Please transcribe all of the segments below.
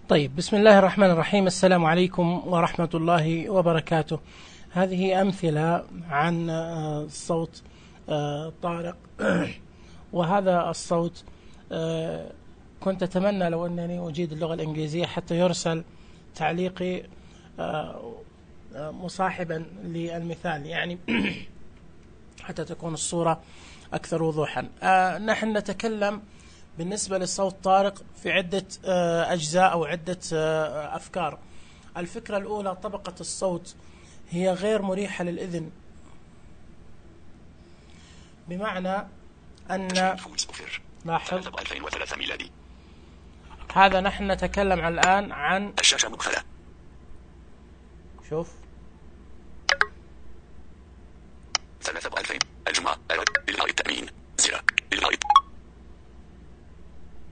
طيب، بسم الله الرحمن الرحيم. السلام عليكم ورحمة الله وبركاته. هذه أمثلة عن صوت طارق. وهذا الصوت كنت أتمنى لو أنني أجيد اللغة الإنجليزية حتى يرسل تعليقي مصاحبا للمثال، يعني حتى تكون الصورة أكثر وضوحا. نحن نتكلم بالنسبة لصوت طارق في عدة أجزاء أو عدة أفكار. الفكرة الأولى، طبقة الصوت هي غير مريحة للإذن، بمعنى أن لاحظ هذا نحن نتكلم الآن عن الشاشة مقفلة. شوف 2000 الجمعة إلغاء التأمين زر إلغاء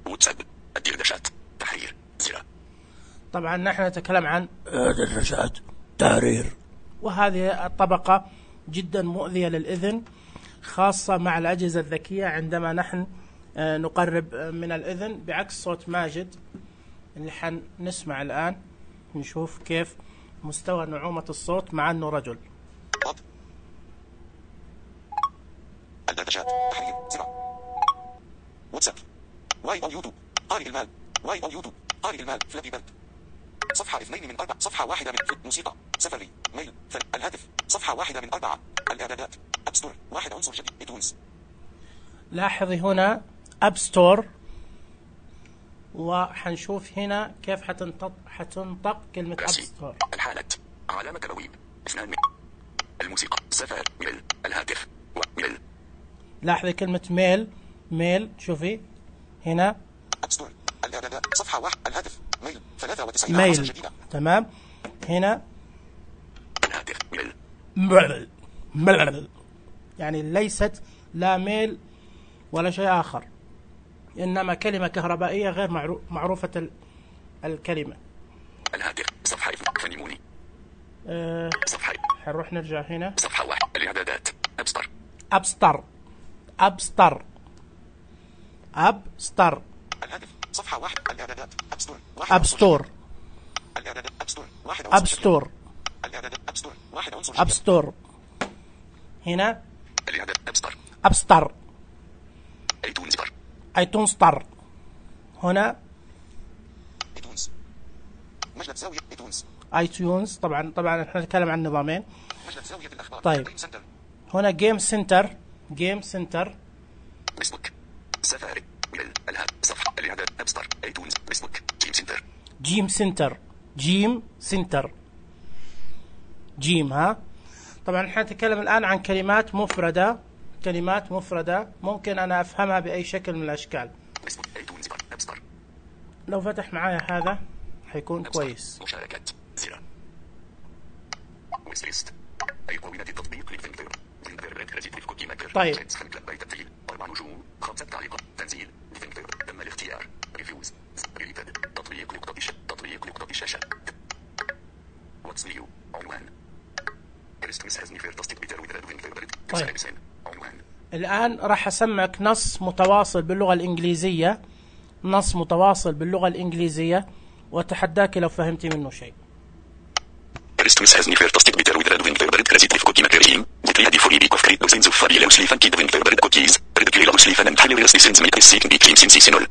واتساب الدردشات تحرير زر. طبعا نحن نتكلم عن دردشات تحرير، وهذه الطبقة جدا مؤذية للإذن، خاصة مع الأجهزة الذكية عندما نحن نقرب من الإذن، بعكس صوت ماجد اللي حنسمع الآن. نشوف كيف مستوى نعومة الصوت مع أنه رجل. الدردشات تحرير زر واتساب واي او يوتيوب قارئ المال واي او يوتيوب قارئ المال فلابي بيرد صفحة 2 من 4 صفحة 1 من موسيقى سفري ميل الهاتف صفحة 1 من 4 الإعدادات أب ستور 1 عنصر جديد ايتونز. لاحظي هنا أب ستور، وحنشوف هنا كيف حتنطق كلمة أب ستور. الحالة علامة بويب 2 من الموسيقى سفر ميل الهاتف وميل. لاحظي كلمة ميل شوفي هنا أب ستور الإعدادات صفحة 1 الهاتف ميل 93 ميل جديدة. تمام. هنا الهاتف ميل يعني ليست لا ميل ولا شيء آخر، إنما كلمة كهربائية غير معروفة الكلمة. الهاتف صفحة فنيموني صفحة حنروح نرجع هنا صفحة 1 الإعدادات أبستر الهاتف صفحة 1 الإعدادات أبستور الإعدادات أبستور الإعدادات أبستور هنا الإعدادات أبستر ايتونز ستار هنا ايتونز مجلة زاوية ايتونز. طبعا احنا نتكلم عن نظامين. مجلة زاوية الأخبار. طيب هنا جيم سنتر فيسبوك سفاري الهات صفحة الإعداد أبستر ايتونز فيسبوك جيم سنتر ها. طبعا احنا نتكلم الآن عن كلمات مفردة ممكن أنا أفهمها بأي شكل من الأشكال. لو فتح معايا هذا حيكون كويس. مشاركات زر ويسليست أيقونة التطبيق لفينكر كوكي ماكر. طيب 4 نجوم 5 تعليقات تنزيل فينكر تم الاختيار ريفيوز ريليتد تطبيق نقطة الشاشة واتس نيو عنوان طيب الآن راح أسمعك نص متواصل باللغة الإنجليزية وأتحداك لو فهمتي منه شيء. Christmas has never tasted bitter with red Winterberg creative cookie maker team. Get ready for a week of great dozens of fabulously funky Winterberg cookies. Ridiculously fun and hilariously sensational seeking cream sensational.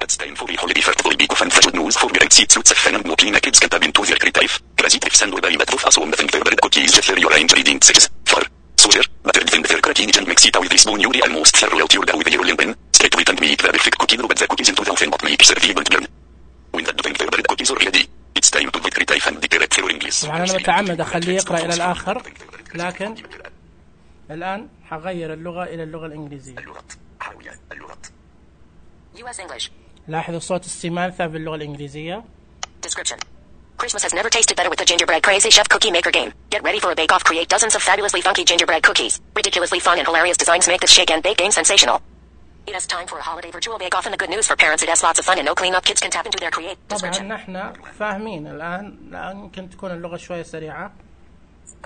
It's time for a holiday fertile week of fun good news for great seats with fun and mocking kids can tap into their creative. Creative and very bad of us on the Winterberg cookies get your range reading 6 4 sugar buttered Winterberg creating and mix it with this spoon you almost throw out your dough with your lemon. Straight with and make the perfect cookie drop the cookies into the oven but make serve and burn. When the Winterberg cookies are ready. It's time to get creative and decorate for English. طبعا أنا متعمد أخليه يقرأ إلى الآخر، لكن الآن حغير اللغة إلى اللغة الإنجليزية. اللغات US English. لاحظوا صوت السمانثة في اللغة الإنجليزية. Description. Christmas has never tasted better with the Gingerbread Crazy Chef Cookie Maker game. Get ready for a bake-off. Create dozens of fabulously funky gingerbread cookies. Ridiculously fun and hilarious designs make this shake and bake game sensational. It is time for a holiday virtual bake-off, and the good news for parents, it has lots of fun and no clean-up. Kids can tap into their create. طبعا نحن فاهمين الآن يمكن تكون اللغة شوية سريعة.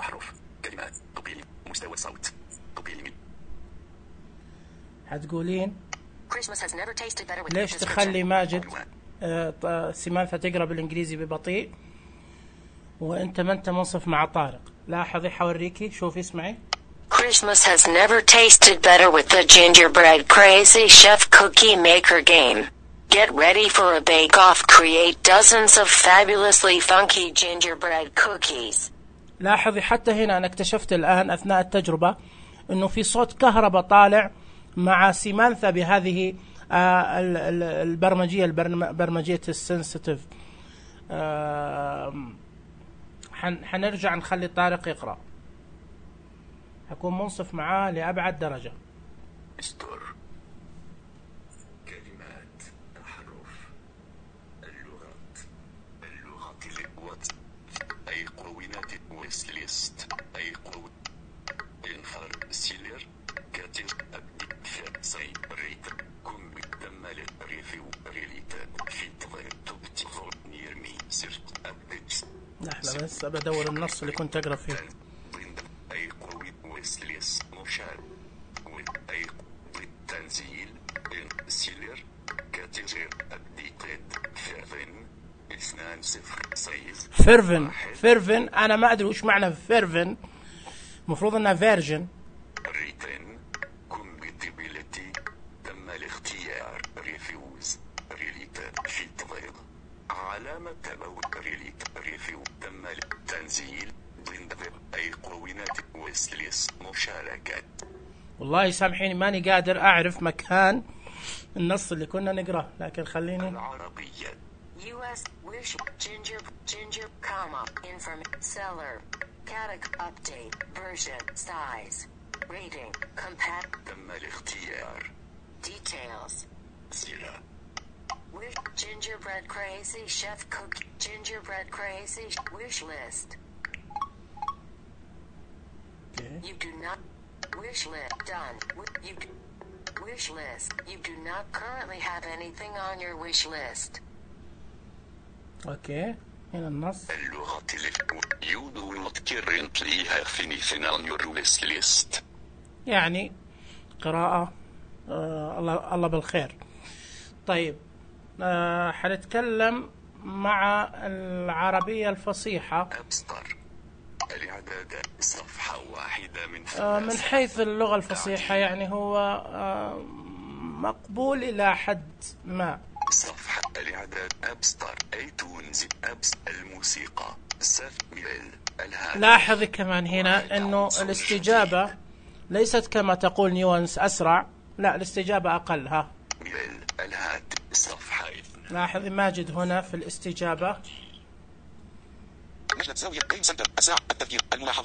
أحرف كلمات تقييم مستوى الصوت تقييم. هتقولين Christmas has never tasted better with ليش تخلي ماجد سمانثة تقرأ بالإنجليزي ببطيء وأنت ما أنت منصف مع طارق. لاحظي حوريكي، شوفي اسمعي. Christmas has never tasted better with the gingerbread crazy chef cookie maker game. Get ready for a bake-off. Create dozens of fabulously funky gingerbread cookies. لاحظي حتى هنا أنا اكتشفت الآن أثناء التجربة إنه في صوت كهرباء طالع مع سيمانثا بهذه برمجية السنسيتيف. حنرجع نخلي طارق يقرأ، حكون منصف معاه لأبعد درجة. استر كلمات أحرف اللغات الوات أي قوينات ويسليست أي قوي انفر سيلر كاتر أبدي سي ريت كم بالدمال ريفيو ريليتا في تضير تبتغل نيرمي سرت أبديت. لحظة بس بدور النص اللي كنت أقرأ فيه. أي قوي ويسليس مشار أي تنزيل سيلر كاتر أبديتد فيرفن 2 فيرفن أنا ما أدري وش معنى فيرفن، مفروض أنها فيرجن. ريتن كومبيتيبيليتي تم الاختيار ريفيوز ريليتد في تضيق علامة تبوت ريليت ريفيو تم التنزيل ضمن أي قوينات ويسليس مشاركة. والله سامحيني ماني قادر أعرف مكان النص اللي كنا نقرأه، لكن خليني. العربية US wish ginger comma inform seller category update version size rating compact تم الاختيار details سيرة wish gingerbread crazy chef cookie gingerbread crazy wish list. You do not wish list done. You wish list. You do not currently have anything on your wish list. اوكي هنا النص. اللغة you do not currently have anything on your wish list. يعني قراءة الله بالخير. طيب حنتكلم مع العربية الفصيحة. أبستر الإعداد صفحة واحدة من حيث اللغة الفصيحة يعني هو مقبول إلى حد ما. صفحة الإعداد أبستر ايتونز أبس الموسيقى سفميل الهاتف. لاحظي كمان هنا إنه الاستجابة ليست كما تقول نيوانس أسرع، لا الاستجابة أقل. ها ميل الهاتف صفحة. لاحظي ماجد هنا في الاستجابة.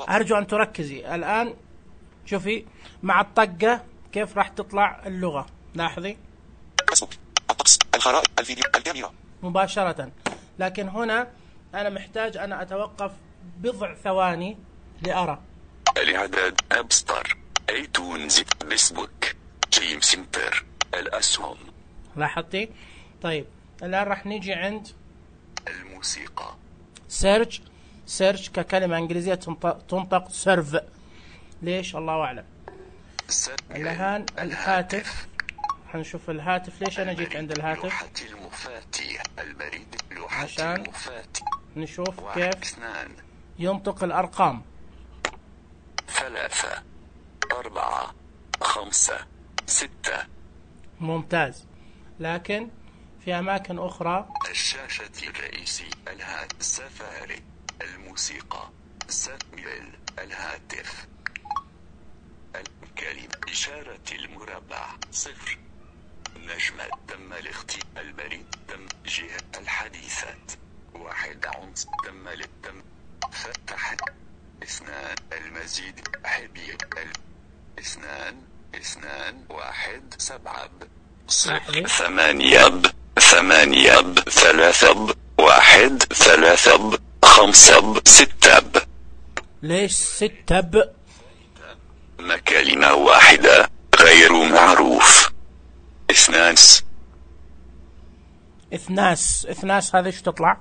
أرجو أن تركزي الآن. شوفي مع الطقة كيف راح تطلع اللغة. لاحظي الطقس الخرائط الفيديو الكاميرا مباشرة، لكن هنا أنا محتاج أن أتوقف بضع ثواني لأرى. الإعداد أبستر ايتونز فيسبوك جيم سنتر الأسهم. لاحظتي؟ طيب الآن راح نيجي عند الموسيقى. سيرش ككلمة إنجليزية تنطق سيرف. ليش؟ الله أعلم. الآن الهاتف، حنشوف الهاتف. ليش أنا جيت عند الهاتف؟ لوحة المفاتيح البريد لوحة عشان المفاتيح. نشوف 1 كيف 2 ينطق الأرقام. 3 4 5 6. ممتاز، لكن في أماكن أخرى. الشاشة الرئيسي الهاتف سفاري الموسيقى سفميل الهاتف الكلمة إشارة المربع 0 نجمة تم الاختيار البريد تم جهة الحديثات 1 عنصر تم للتم فتح 2 المزيد حبيب 2 1 7 0 8 8 3 1 3 5 6. ليش 6 كلمة واحدة غير معروف. إثناس هذا ايش تطلع؟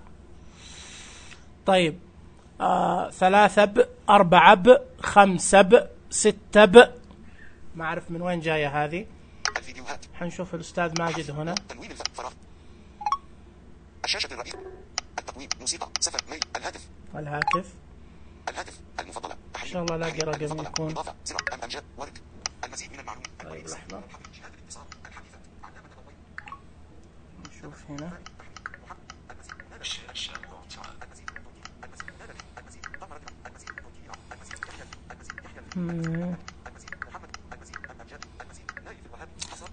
طيب 3 4 5 6. ما أعرف من وين جاية هذه. حنشوف الأستاذ ماجد هنا. الشاشة الرئيسية. التقويم. موسيقى. سفر. ميل. الهاتف. المفضلة. إن شاء الله لاقي رقم يكون. إضافة. سرعة. أمجاد. ورد. المزيد من المعلومات. طيب لحظة نشوف هنا.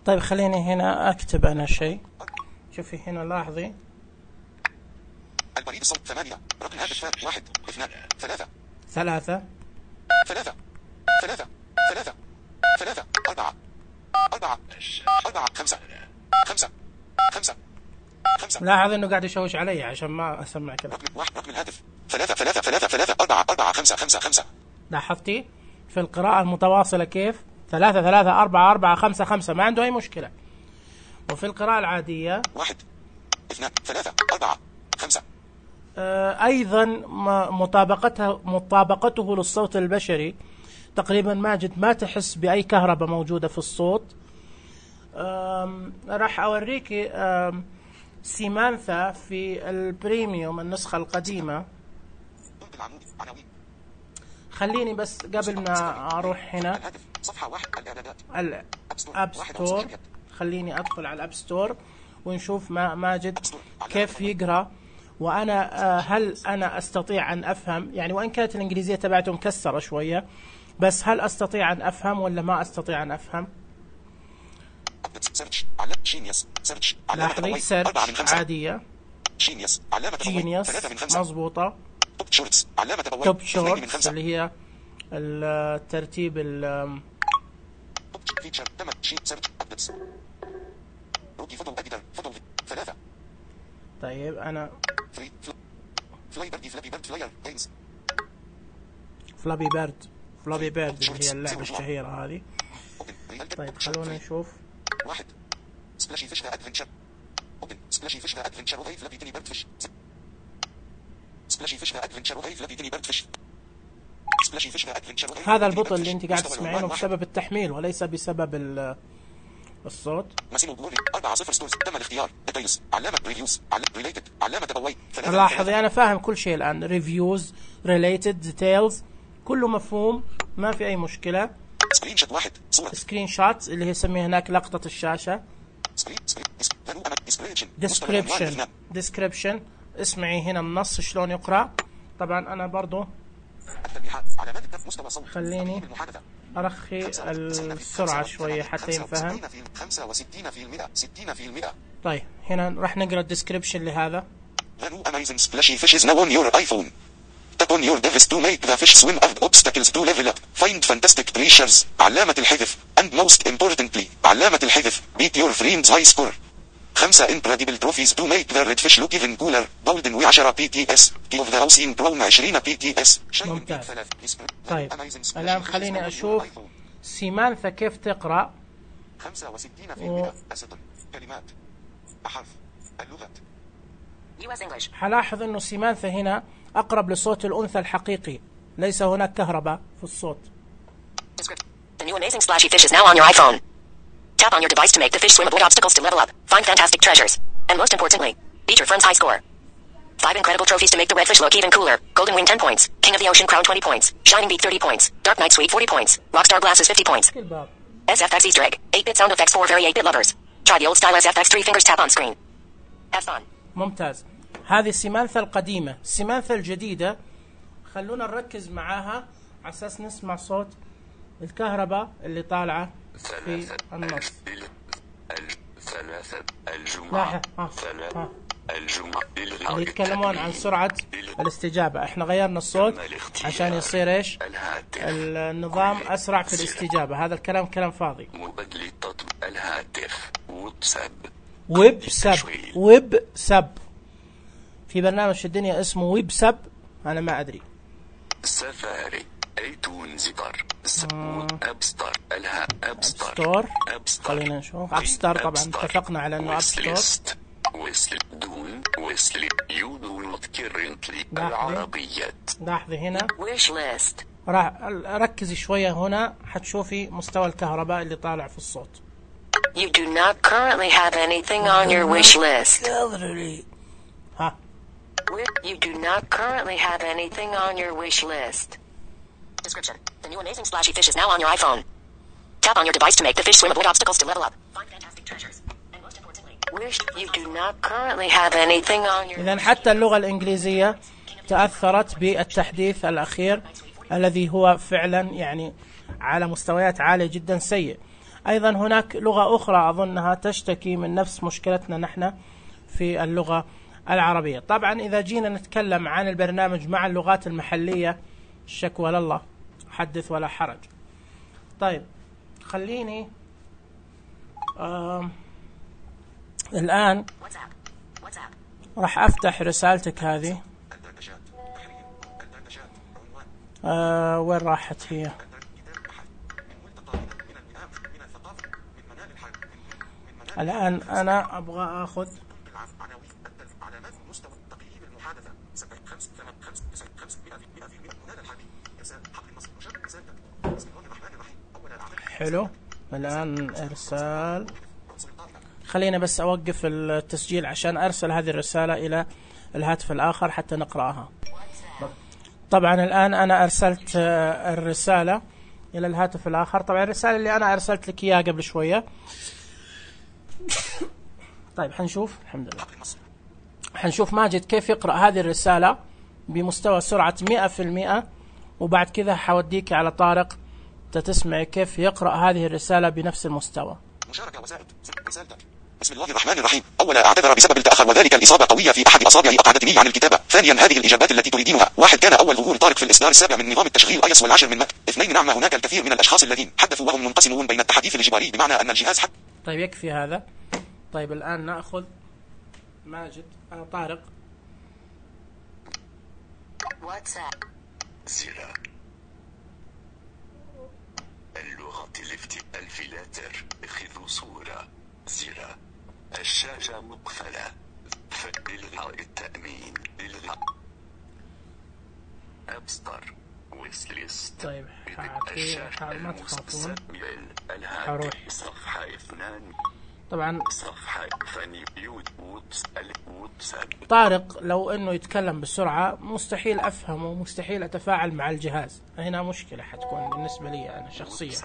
طيب خليني هنا أكتب أنا شيء. شوفي هنا لاحظي. البريد الصوت 8. رقم الهاتف 1 2 3 3 3 3 3 3 4 4 4 5 5 5 5. لاحظ إنه قاعد يشوش علي عشان ما أسمع كذا. رقم الهاتف 3 3 3 3 4 4 5 5 5. لاحظتي في القراءة المتواصلة كيف 3 3 4 4 5 5 ما عنده أي مشكلة. وفي القراءة العادية 1 2 3 4 5. أيضا مطابقته للصوت البشري تقريبا ماجد ما تحس بأي كهرباء موجودة في الصوت. راح أوريك سيمانثا في البريميوم النسخة القديمة. خليني بس قبل ما أروح هنا الأب ستور، خليني أدخل على الأب ستور ونشوف ماجد كيف يقرأ. وأنا هل أنا أستطيع أن أفهم، يعني وإن كانت الإنجليزية تبعته مكسرة شوية، بس هل أستطيع أن أفهم ولا ما أستطيع أن أفهم؟ لاحظي سيرش عادية. جينيوس مضبوطة. توب شورتس اللي هي الترتيب طيب أنا فلابي بيرد اللي هي اللعبة الشهيرة هذه. طيب خلونا نشوف. 1 سبلاشي فيش ذا ادفنتشر. اوبن سبلاشي فيش ذا ادفنتشر وهي فلابي تيني بيرد فيش. سبلاشي فيش ذا ادفنتشر وهي فلابي تيني بيرد فيش. سبلاشي فيش ذا ادفنتشر. هذا البطء اللي انت قاعد تسمعينه بسبب التحميل وليس بسبب الصوت. ماسيمو بلوري 4 0 ستورز. تم الاختيار. ديتيلز. علامة ريفيوز. ريليتد. علامة تبوي. لاحظي أنا فاهم كل شيء الآن. ريفيوز، ريليتد، ديتيلز، كله مفهوم، ما في أي مشكلة. سكرين شوت 1 صورة. سكرين شوت اللي هي يسميها هناك لقطة الشاشة. ديسكريبشن. اسمعي هنا النص شلون يقرأ. طبعا أنا برضو خليني أرخي السرعة شوية حتى ينفهم. 65%. طيب هنا راح نقرأ الديسكريبشن لهذا. The new amazing splashy fish is now on your iPhone. Tap on your device to make the fish swim avoid obstacles to level up. Find fantastic treasures. علامة الحذف. And most importantly, علامة الحذف. Beat your friend's high score. 5 incredible trophies to make the red fish look even cooler. golden و10 PTS. Key of the house in Chrome 20 PTS. ممتاز. طيب الآن خليني أشوف سيمانثا كيف تقرأ. 65% أسطر. كلمات. أحرف. اللغات. حلاحظ إنه سيمانثا هنا أقرب لصوت الأنثى الحقيقي، ليس هناك كهرباء في الصوت. The new amazing splashy fish is now on your iPhone. Tap on your device to make the fish swim, avoid obstacles to level up, find fantastic treasures, and most importantly, beat your friend's high score. 5 incredible trophies to make the red fish look even cooler. Golden Wing 10 points, King of the Ocean Crown 20 points, Shining Beak 30 points, Dark Night Suite 40 points, Rockstar Glasses 50 points. SFX Easter egg, 8-bit sound effects for very 8-bit lovers. Try the old style SFX 3 fingers tap on screen. Have fun. ممتاز. هذه سيمانثا القديمة. سيمانثا الجديدة خلونا نركز معاها على أساس نسمع صوت الكهرباء اللي طالعة في النص. الجمعة اللي يتكلمون عن سرعة الاستجابة. احنا غيرنا الصوت عشان يصير ايش النظام أسرع في الاستجابة. هذا الكلام كلام فاضي. مبدل التطبيق الهاتف ويب سب في برنامج في الدنيا اسمه ويب سب، أنا ما أدري. سفاري ايتونز اب ستار الها اب ستور. خلينا نشوف اب ستار. طبعا اتفقنا على انه اب ستور. ويسلي يو دو نوت كيرنتلي العربيات. لاحظي هنا wish list. راح ركزي شوية هنا حتشوفي مستوى الكهرباء اللي طالع في الصوت. You do not currently have anything on your wish list. ها. You do not currently have anything on your wish list. Description. The new amazing splashy fish is now on your iPhone. Tap on your device to make the fish swim, avoid obstacles to level up. Find fantastic treasures. And most importantly, wish you do not currently have anything on your... إذن حتى اللغة الإنجليزية تأثرت بالتحديث الأخير الذي هو فعلا يعني على مستويات عالية جدا سيء. أيضا هناك لغة أخرى أظنها تشتكي من نفس مشكلتنا نحن في اللغة العربية. طبعا إذا جينا نتكلم عن البرنامج مع اللغات المحلية الشكوى لله، حدث ولا حرج. طيب خليني الآن راح أفتح رسالتك هذه. وين راحت هي؟ الآن أنا أبغى أخذ حلو. الآن إرسال. خلينا بس أوقف التسجيل عشان أرسل هذه الرسالة إلى الهاتف الآخر حتى نقرأها. طبعا الآن أنا أرسلت الرسالة إلى الهاتف الآخر. طبعا الرسالة اللي أنا أرسلت لك إياها قبل شوية. طيب حنشوف. الحمد لله حنشوف ماجد كيف يقرأ هذه الرسالة بمستوى سرعة 100%، وبعد كذا حوديك على طارق تسمعي كيف يقرأ هذه الرسالة بنفس المستوى. مشاركة وسائل رسالتك. بسم الله الرحمن الرحيم. أولا أعتذر بسبب التأخر وذلك الإصابة قوية في أحد أصابعي أقعدتني عن الكتابة. ثانيا هذه الإجابات التي تريدينها. 1 كان أول ظهور طارق في الإصدار السابع من نظام التشغيل iOS والعاشر من ماك. 2 نعم هناك الكثير من الأشخاص الذين حدثوا وهم منقسمون بين التحديث الإجباري بمعنى أن الجهاز طيب يكفي هذا. طيب الآن نأخذ ماجد طارق. واتساب. زر اللغة الفلاتر اخذوا صورة. زر الشاشة مقفلة. إلغاء التأمين. إلغاء أبستر ويسليست. طيب ما تخافون. حروح صفحة 2. طبعا صفحة طارق لو انه يتكلم بسرعة مستحيل افهمه، مستحيل اتفاعل مع الجهاز. هنا مشكلة حتكون بالنسبة لي انا شخصيا.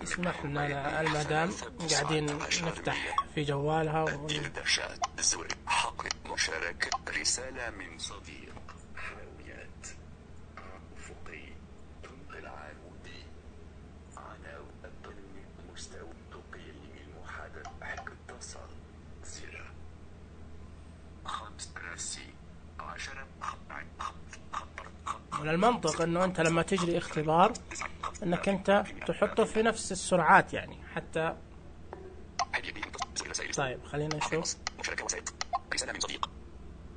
اسمح لنا المدام قاعدين نفتح في جوالها حق مشاركة رسالة من صديق. حاويات أفقي تنقل عمودي على مستوى تقييم المحادثة. اتصل. زر 5 راسي 10 من المنطق انه انت لما تجري اختبار انك انت تحطه في نفس السرعات يعني حتى. طيب خلينا نشوف. رسالة من صديق.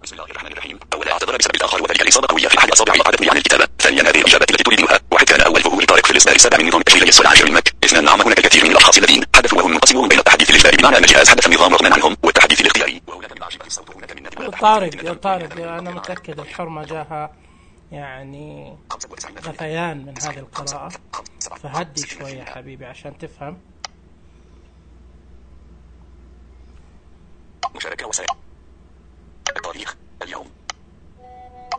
بسم الله الرحمن الرحيم. أولا أعتذر بسبب التأخر وذلك الإصابة قوية في أحد أصابعي أقعدتني عن الكتابة. ثانيا هذه الإجابات التي تريدها. 1 كان أول ظهور طارق في الإصدار السابع من نظام التشغيل iOS والعاشر من ماك. 2 نعم هناك الكثير من الأشخاص الذين حدثوا وهم منقسمون بين التحديث الإجباري بمعنى أن الجهاز حدث النظام رغما عنهم والتحديث الاختياري. وهناك من أعجبه الصوت هناك من نادي. طارق أنا متأكد الحرمة جاها يعني غثيان من هذه القراءة، فهدي شوية يا حبيبي عشان تفهم. مشاركة وسائل التاريخ اليوم.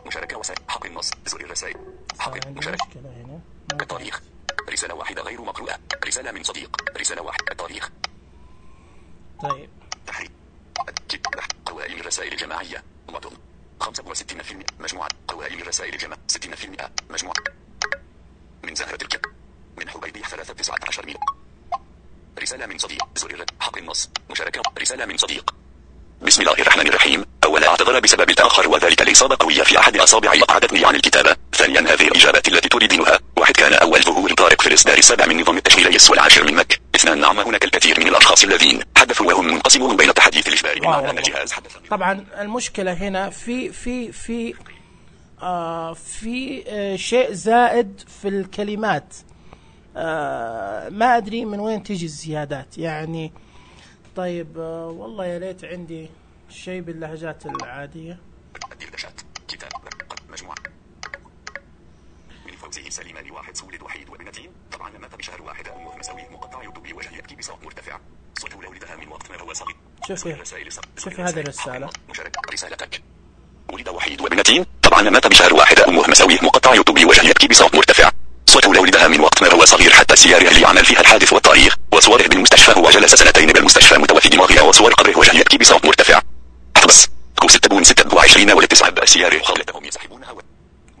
مشاركة وسائل حق النص. زر الرسائل. حق مشاركة التاريخ. رسالة واحدة غير مقروءة. رسالة من صديق. رسالة واحدة. التاريخ. طيب تحريك قوائم الرسائل الجماعية. مضم 65% مجموعة قوائم الرسائل الجماعية 60% مجموعة من زهرة الكب من حبيبي 13 ميل. رسالة من صديق. زر حق النص. مشاركة. رسالة من صديق. بسم الله الرحمن الرحيم. أولا أعتذر بسبب التأخر وذلك الإصابة قوية في أحد أصابعي أقعدتني عن الكتابة. ثانيا هذه الإجابات التي تريدينها. 1 كان أول ظهور طارق في الإصدار السابع من نظام التشغيل iOS والعاشر من ماك. 2 نعم هناك الكثير من الأشخاص الذين حدثوا وهم منقسمون بين التحديث الإجباري بمعنى أن الجهاز حدث. طبعا المشكلة هنا في شيء زائد في الكلمات. ما أدري من وين تيجي الزيادات يعني. طيب والله يا ليت عندي شيء باللهجات العادية. كتاب مجموعة من فوزه سليمان 1 سولد وحيد وابنتين. طبعا مات بشهر 1 أمه صوت مساوي مقطع يطبي وجه يبكي بصوت مرتفع. صوت والدها من وقت ما هو صغير. شوفي هذه الرسالة. رسالتك. ولد وحيد وابنتين. طبعا مات بشهر واحد. أمه مساوي مقطع يطبي وجه يبكي بصوت مرتفع. صوت ولدها من وقت ما هو صغير حتى سياره اللي عمل فيها الحادث والتاريخ وصوره بالمستشفى. هو جلس 2 بالمستشفى متوفي دماغها وصور قبره وجه يبكي بصوت مرتفع. حبس. 26 ولا 9 سياره خلتهم يسحبونها.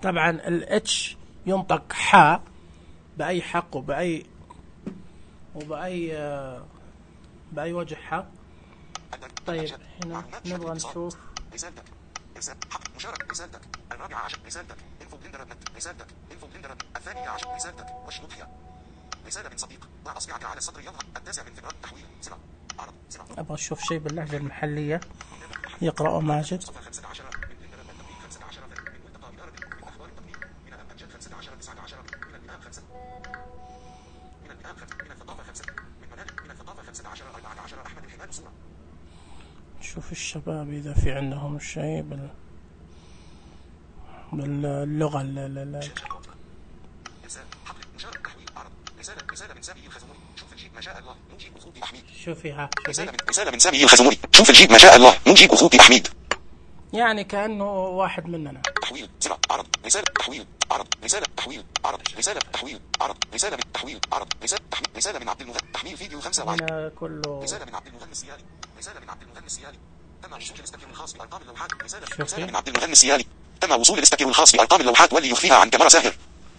طبعا الاتش ينطق حاء بأي حق وبأي وجه حق. طيب هنا نبغى نشوف رسالتك مشارك. رسالتك 14 رسالتك انفو بلندر رسالتك انفو بلندر 12 رسالتك واشنطها. رسالة من صديق ضع أصبعك على السطر يظهر 9 فبراير. تحويل سرعة عرض سرعة. أبغى أشوف شيء باللهجة المحلية يقرأه ماجد. شوف الشباب إذا في عندهم شيء باللغة رسالة من سامي الخزموري. شوف الجيب ما شاء الله نجيب أخوتي أحميد. شوفيها. رسالة من سامي الخزموري. شوف الجيب ما شاء الله نجيب أخوتي أحميد. يعني كأنه واحد مننا. تحويل سرعة عرض رسالة تحويل عرض رسالة تحويل عرض رسالة تحويل عرض رسالة من تحويل عرض رسالة من عبد المغني تحميل فيديو 5 كله. رسالة من عبد المغني السيالي. رسالة من عبد المغني السيالي. تم وصول الاستكير الخاص بأرقام اللوحات. رسالة من عبد المغني السيالي. تم وصول الاستكير الخاص بأرقام اللوحات واللي يخفيها عن كاميرا ساهر.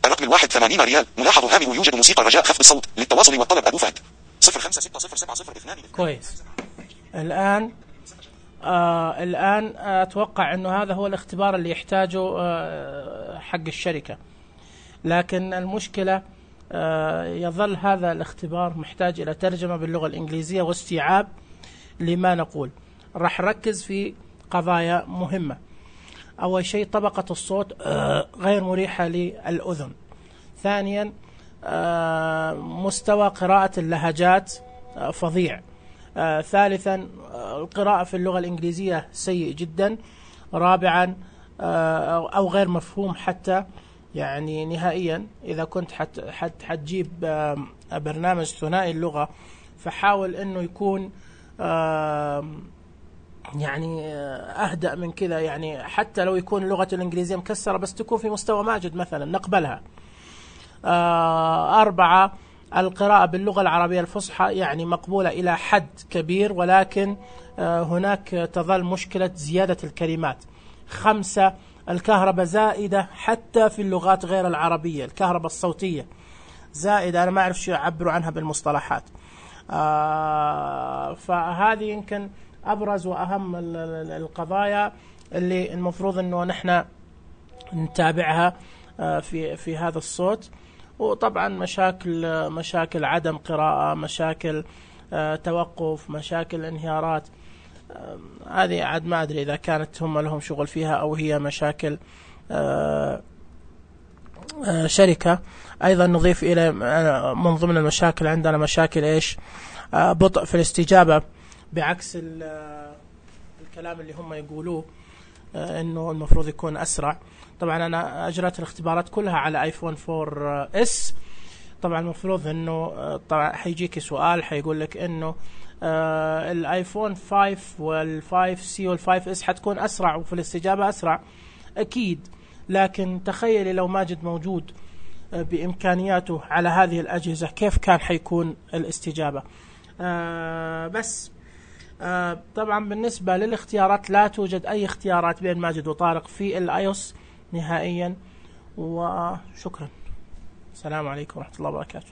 الرقم 81 ريال. ملاحظ هامل يوجد موسيقى رجاء خفض الصوت للتواصل والطلب. أبو فهد 05607002. الآن أتوقع أنه هذا هو الاختبار اللي يحتاجه حق الشركة، لكن المشكلة يظل هذا الاختبار محتاج إلى ترجمة باللغة الإنجليزية واستيعاب لما نقول. راح نركز في قضايا مهمة. أول شيء طبقة الصوت غير مريحة للأذن. ثانيا مستوى قراءة اللهجات فظيع. ثالثا القراءة في اللغة الإنجليزية سيء جدا. رابعا أو غير مفهوم حتى يعني نهائيا. إذا كنت حتجيب برنامج ثنائي اللغة فحاول أنه يكون يعني أهدأ من كذا، يعني حتى لو يكون اللغة الإنجليزية مكسرة بس تكون في مستوى ماجد مثلا نقبلها. 4 القراءة باللغة العربية الفصحى يعني مقبولة إلى حد كبير، ولكن هناك تظل مشكلة زيادة الكلمات. 5 الكهرباء زائدة حتى في اللغات غير العربية. الكهرباء الصوتية زائدة، أنا ما أعرف شو يعبروا عنها بالمصطلحات. فهذه يمكن أبرز وأهم القضايا اللي المفروض أنه نحن نتابعها في هذا الصوت. وطبعا مشاكل عدم قراءة، مشاكل توقف، مشاكل انهيارات. هذه عاد ما أدري إذا كانت هم لهم شغل فيها أو هي مشاكل شركة. أيضا نضيف إلى من ضمن المشاكل عندنا مشاكل بطء في الاستجابة، بعكس الكلام اللي هم يقولوه إنه المفروض يكون أسرع. طبعا أنا أجرت الاختبارات كلها على آيفون 4S. طبعا المفروض إنه طبعا حيجيك سؤال حيقول لك إنه الآيفون 5 وال5C وال5S حتكون أسرع وفي الاستجابة أسرع. أكيد، لكن تخيلي لو ماجد موجود بإمكانياته على هذه الأجهزة كيف كان حيكون الاستجابة. بس طبعا بالنسبة للاختيارات لا توجد أي اختيارات بين ماجد وطارق في الآيوس نهائيا. وشكرا. السلام عليكم ورحمة الله وبركاته.